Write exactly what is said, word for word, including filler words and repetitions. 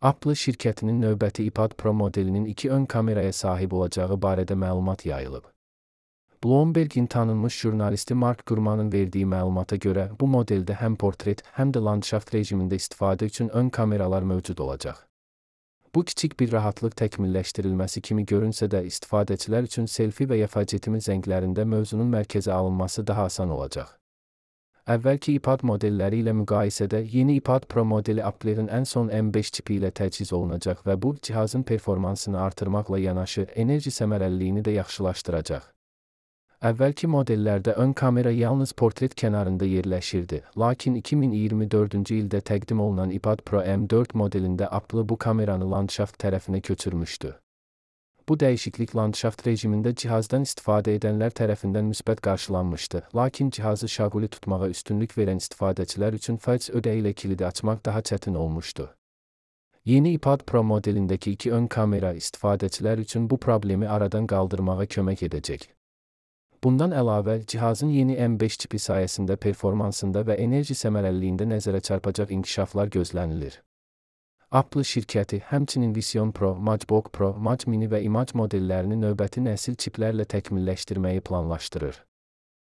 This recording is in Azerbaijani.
Apple şirkətinin növbəti iPad Pro modelinin iki ön kameraya sahib olacağı barədə məlumat yayılıb. Bloomberg'in tanınmış jurnalisti Mark Gurman'ın verdiyi məlumata görə, bu modeldə həm portret, həm də landşaft rejimində istifadə üçün ön kameralar mövcud olacaq. Bu kiçik bir rahatlıq təkmilləşdirilməsi kimi görünsə də, istifadəçilər üçün selfie və ya facetimi zənglərində mövzunun mərkəzə alınması daha asan olacaq. Əvvəlki iPad modelləri ilə müqayisədə yeni iPad Pro modeli Apple'in ən son M beş çipi ilə təchiz olunacaq və bu, cihazın performansını artırmaqla yanaşı, enerji səmərəliliyini də yaxşılaşdıracaq. Əvvəlki modellərdə ön kamera yalnız portret kənarında yerləşirdi, lakin iki min iyirmi dördüncü ildə təqdim olunan iPad Pro M dörd modelində Apple bu kameranı landşaft tərəfinə köçürmüşdü. Bu dəyişiklik landşaft rejimində cihazdan istifadə edənlər tərəfindən müsbət qarşılanmışdı, lakin cihazı şaquli tutmağa üstünlük verən istifadəçilər üçün faiz ödəyi ilə kilidi açmaq daha çətin olmuşdu. Yeni iPad Pro modelindəki iki ön kamera istifadəçilər üçün bu problemi aradan qaldırmağa kömək edəcək. Bundan əlavə, cihazın yeni M beş çipi sayəsində performansında və enerji səmərəliliyində nəzərə çarpacaq inkişaflar gözlənilir. Apple şirkəti həmçinin Vision Pro, MacBook Pro, Mac Mini və Image modellərini növbəti nəsil çiplərlə təkmilləşdirməyi planlaşdırır.